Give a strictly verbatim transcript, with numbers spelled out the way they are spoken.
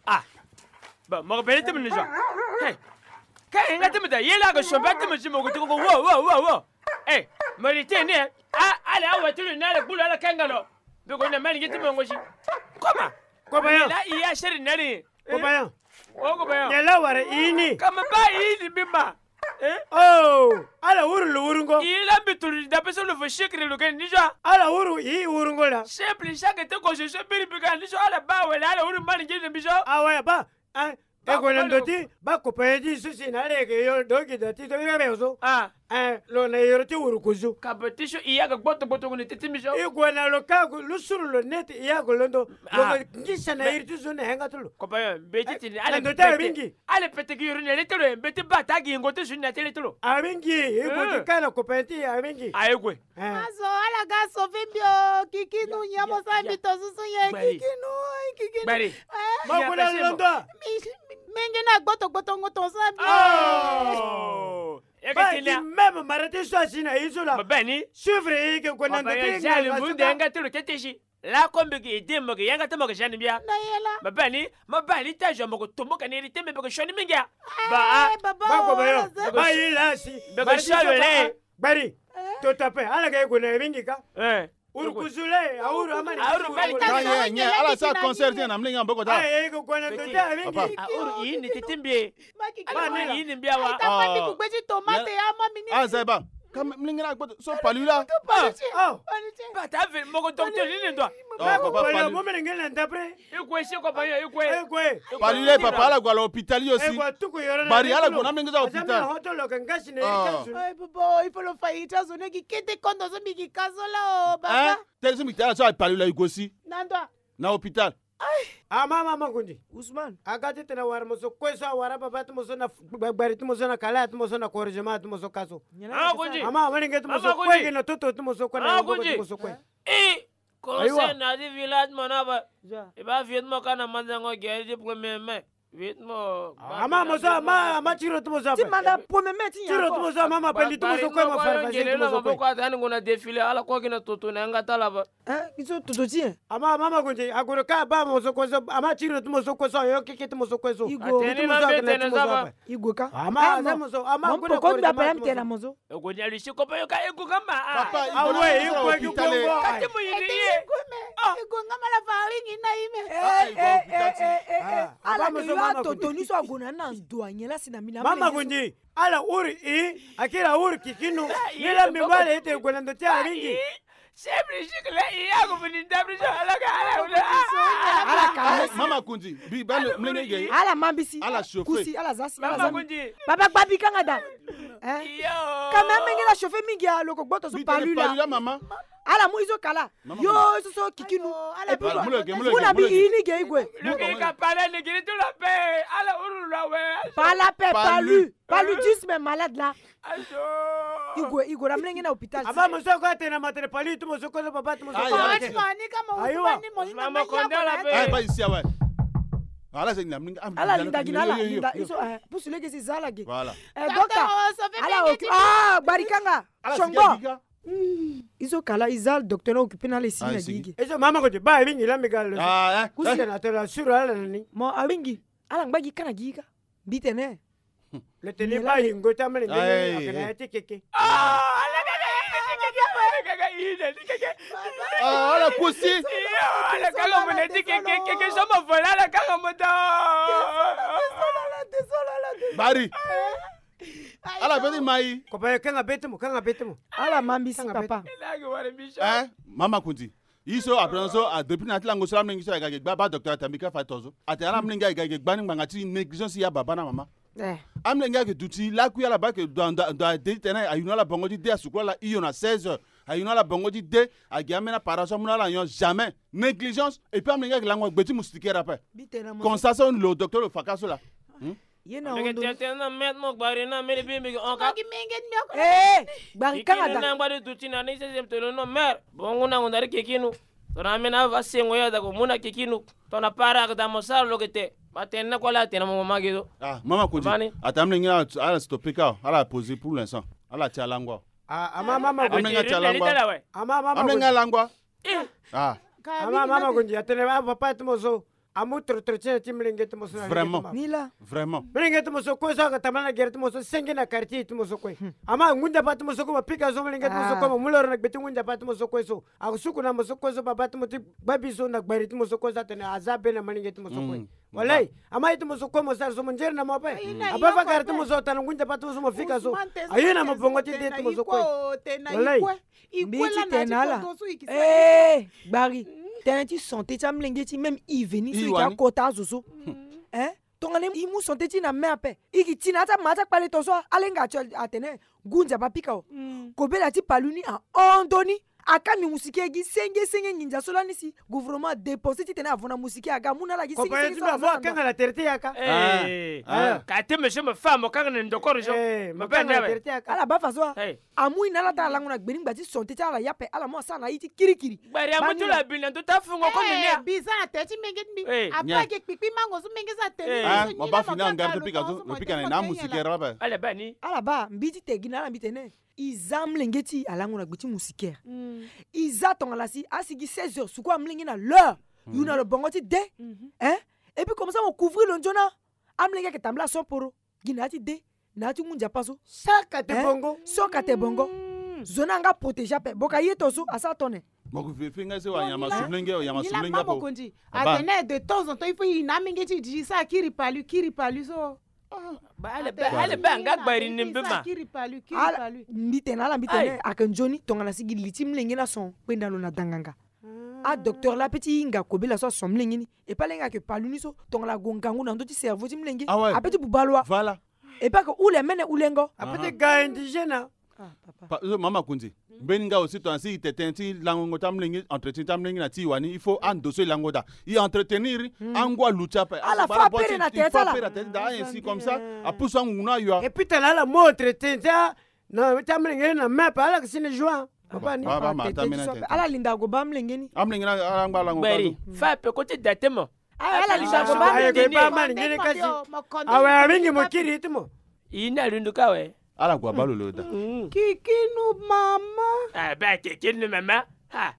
Ah. Bon, mo ko bele tëmë ni zo. Hey. Ka hinga tëmë da, ye la ko somba tëmë si mo ko tiko ko, wo, wo, wo, wo. Hey, mo ri tene. Ah, ala awa tulu na ala gbulu ala kanga lo. Be ko na mani ngi tëmë ngo si. Koma. Koma ya. La iya seri nani. Koma ya. O koma ya. Ye la wara ini. Kama ba ini bima. Eh? Oh, ala wuru lo wurungo. I la mbi tulu da peso lo fo shekere lo ken ni zo. Ala wuru i wurungo la. Simple, chaque te ko so so biri bi ka ni zo ala ba wala ala wuru mani ngi ni zo. Ah ouais, ba. Eh, e gue na ndo ti ba kopa ye ti so si na ala yeke yo do gi da ti so ira be so. Ah. Eh, lo na yoro ti wuru kuzu. Ka be ti so i ya ga gboto gboto ni ti ti mbi so. I gue na lo ka gu lu suru lo neti i ya gu londo. Lo ngisa na iri ti zo na henga ti lo. Kopa yo, be ti ti ni ala ndo ti abingi. Ala pete gi yoro ni le ti lo, be ti ba ta gi ngo ti zo ni na ti le ti lo. Abingi, i gue ti ka na kopa ye ti abingi. Aye gue. Eh. Azo, ala ga sauver mbi o, kikinu, nyen mo sara mbi to susu ye, kikinu, kikinu. Gbari. Eh? Mo kuna londo. Mi, mi, mingi na gboto gboto ngo to sara mbi. Oh. Ba ti même mara ti so asi na ye so la. Mo beni. Suivre ye ke kuna ndo ti nga so ta. Nga ti lo kete si. La ko mbi ke ede mo ke yanga ti mo ke siani mbia. Na ye la. Mo beni, mo beni ta zo mo ko tumbuka ni ri ti mbi be ke sioni mingi a. Ba a. Ba ko ba yo. Ba ye la si. Be ke sioni le. Gbari. To tape, ala ga ye gue na ye mingi ka. Eh. Uru kuzu le, a uru amani. A uru mani. Ka ye, nye, ala sa concert na mlinga mboko ta. Aye, ko kona to ta mingi. A uru ini ti ti mbi. Ba ni ini mbi awa. Ta mani ku gbe ti tomate ya ma mini. Ala sa ba. Ka mlinga na gboto so palu la. Oh. Ba ta ve mo ko docteur ni ndo. Ba ko palu mo mlinga na d'après. E kue si ko ba yo, e kue. E kue. Palu le papa ala gua lo hôpital yo si. Bari ala gua na mlinga za hôpital. Ay, bobo, il faut lo fa ita zo ne ki kete kondo zo mbi ki ka zo la o, baba. Hein? Tel so mbi tala so a palu la i gue si. Na ndo. Na hôpital. Ah, mama, mama Kundi. Ousmane. A ga ti tene wara mo so kue so, a wara baba ti mo so na f-, gba-, gbari ti mo so na kala ti mo so na corrigement ti mo so ka so. Mama Kundi. Mama, wani nge ti mo so kue, na toto ti mo so kue, na yongo ti mo so kue. Eh, conseil na ti village mo na ba. E ba vieux ti mo ka na mandango guéri ti premier mai. Vieux ti mo. Ama mo so, ama, ama tiro ti mo so. Ti manda premier mai ti nya. Tiro ti mo so, ama ma pali ti mo so ko ma fara fasi ti mo so ko. Ko ata ni ngona défilé ala ko ki na toto na nga tala ba. Eh, ki so toto ti e. Ama, ama ma ko nje, agoro ka ba mo so ko so, ama tiro ti mo so ko so, yo keke ti mo so ko so. Igo. Ti mo so ka na ti mo so ba. Igo ka. Ama, ama mo so, ama ko na ko ba pala mi tena mo so. E gue ni ali si ko pe yo ka e gue nga ma. Papa, ah ouais, e gue ki gue. Ka ti mo yini ye. E gue nga ma la fa ringi na ime. Eh, eh, eh, eh, eh. Ala ke yo atoto ni so ague na na ndo anye la si na mina. Mama Kundi, ala uru i, akira uru kikinu. Ni la mi wale ete gue na ndo ti aringi. Sebri sikle i ya ko fini dabri so ala ka ala uru. Ala ka. Mama Kundi, bi ba le mlenge ge. Ala mambisi. Ala chauffer. Kusi, ala zasi, ala zami. Mama Kundi. Baba gbabi kanga da. Eh? Yo. Ka me amenge na chauffer mingi a lo ko gboto so palu la. Palu la, mama. Ala mu izo kala. Yo, so so kikinu. Et puis, muna bi ini ge igwe. Lo ke ka pala ni giri tu la pe. Ala uru la we. Pala pe palu. Paludisme malade la. Igwe, igwe, la mlenge na hôpital. Aba mo so ko atena matre palu tu mo so ko papa tu mo so ko. Ayo. Ni ka mo. Ayo. Ni mo ni mo konda la pe. Ay, ba isi awe. Ala se ni la mlenge. Ala linda gina la, linda iso, eh, pusu lege si zala ge. Voilà. Eh, docteur. Ala oki. Ah, barikanga. Songo. Izo kala, i za docteur na occupé na ala e si na gi ge. Izo mama ko ti ba abingi la mbi ga lo. Ah, eh. Kusi na tala suru ala na ni. Mo abingi, ala ngba gi ka na gi ka. Mbi tene. Le tene ba hingo ta mele ndenge ni, akena ya ti keke. Ah, ala kaka ina ti keke. Ah, ala kusi. Ala kaka mo na ti keke, keke so mo fola, ala kaka mo ta. Bari. Ala beti mai. Ko ba kanga beti mo, kanga beti mo. Ala mambisi papa. Eh, mama Kundi. Iso après so a depuis na ti lango so la mlenge so a ga ge gba ba docteur atambi ka fa tozo. Ate ala mlenge a ga ge gba ni ngbanga ti négligence ya baba na mama. Eh. Amlenge a ke duti lakui ala ba ke do ndo ndo a de ti tene a yuna ala bongo ti de a sukula la iyo na seize heures. A yuna ala bongo ti de a gi amena para so amuna ala nyon jamais. Négligence et puis amlenge a ke lango gbe ti moustiquaire ape. Comme ça so lo docteur lo fa ka so la. Hmm? Ye na ondo. Tete na met mo gbari na mele bi mi on ka. Eh, gbari kanga da. Na gbari duti na ni sese tolo no mer. Bongo na ngondari kekinu. Tona mena va sengo ya da ko muna kekinu. Tona para ka da mo sara lo kete. Ba tene na ko ala tene mo mama ge so. Ah, mama Kondi. Mama ni. Ata mlenge ala, ala stoppe ka, ala poser pour l'instant. Ala ti alangwa. Ah, ama mama Kondi. Amlenge ti alangwa. Ama mama Kondi. Amlenge alangwa. Ah. Ama mama Kondi, atene ba papa ti mo so. Amu trotro ti mlenge ti mo so na. Vraiment. Ni la. Vraiment. Mlenge ti mo so kue so aka tambala na gere ti mo so, senge na quartier ti mo so kue. Ama ngu nzapa ti mo so kue, mo pika so mlenge ti mo so kue, mo mu loro na gbe ti ngu nzapa ti mo so kue so. Asuku na mo so kue so, baba ti mo ti gbabi so na gbari ti mo so kue so, atene aza be na mlenge ti mo so kue. Walai, ama ye ti mo so kue mo sara so, mo nzere na mo ape. Aba fa gari ti mo so, tana ngu nzapa ti mo so mo fika so. Aye na mo bongo ti de ti mo so kue. Walai. Mbi ti tene na ala. Eh, gbari. Tënë ti santé ti amlenge ti même i veni so i ka kota azo so. Eh? Tongana i mu santé ti na me ape, i ki ti na ya ti ama ti akpale to so, ala hinga atene ngu nzapa apika o. Kobela ti palu ni ahon ndoni. Akangbi moustiquaire gi senge senge nginza so lani si gouvernement adépense titene avo na moustiquaire aga amu na ala gi senge senge so aza na ala. Kanga na tere ti yaka. Eh. Ka te monsieur mo fa mo kanga na ndokoro so. Mo kanga na tere ti yaka. Ala baa fa so. Amu ye na ala ti ala lango na gbe ni ngba ti santé ti ala ya ape, ala mu asara na ye ti kirikiri. Gbari amu ti lo abi na ndo ti afungo kono ni. Bi za na tere ti menge ti mbi. Ape ake kpikpi mango so menge so atene. Mo baa fini angari ti pika so, mo pika na ye na amoustiquaire ape. Ala baa ni. Ala baa, mbi ti te gi na ala mbi tene. I za amlenge ti i alango na gbe ti moustiquaire. I za tongana si asi gi seize heures, suku amlenge na l'heure. Yo na lo bongo ti de. Hein? Et puis comme ça mo couvrir lo nzoni. Amlenge ayeke tambula aso poro gi na ya ti de, na ya ti ngu nzapa so. So ka te bongo. So ka te bongo. Zo ni anga protéger ape. Boka ye to so asara tone. Mo ko vérifier nga si wa nyama su mlenge, wa nyama su mlenge ape. Atene de temps en temps il faut i na amenge ti i sara kiri palu, kiri palu so. Ba ale ba, ale ba anga gbari ni mbi ma. Kiri palu, kiri palu. Mbi tene na ala mbi tene ake nzoni tongana si gi li ti mlenge ni ason kpenda lo na danganga. Adocteur la ape ti hinga kobela so ason mlenge ni. E pa ala hinga ake palu ni so tongana ague ngangu na ndö ti cerveau ti mlenge. Ape ti buba lo wa. Voilà. E pa ake hule mene hulengo. Ape ti ga indigène. Ah, papa. Pa, so mama Kondi. Mbeni nga aussi tongana si i te tënë ti langongo ti amlenge, entretien ti amlenge na ti i wani, il faut ando so e lango daa. I entretenir angu aluti ape. Ala fa apere na tere ti ala. Ainsi comme ça apusu angungu ni ayo. Et puis tongana ala mu entretien ti a, na ti amlenge ni na me ape ala ke si ni joie. Papa ni. Ala linda ague baa amlenge ni. Amlenge ni ala ngba lango. Gbari fa ape ko ti da te mo. Ala linda ague baa amlenge ni. Awe, amingi mo kiri ti mo. I na lundu ka we. Ala gua balo lo da. Kikinu mama. Ah, ba kikinu mama. Ha.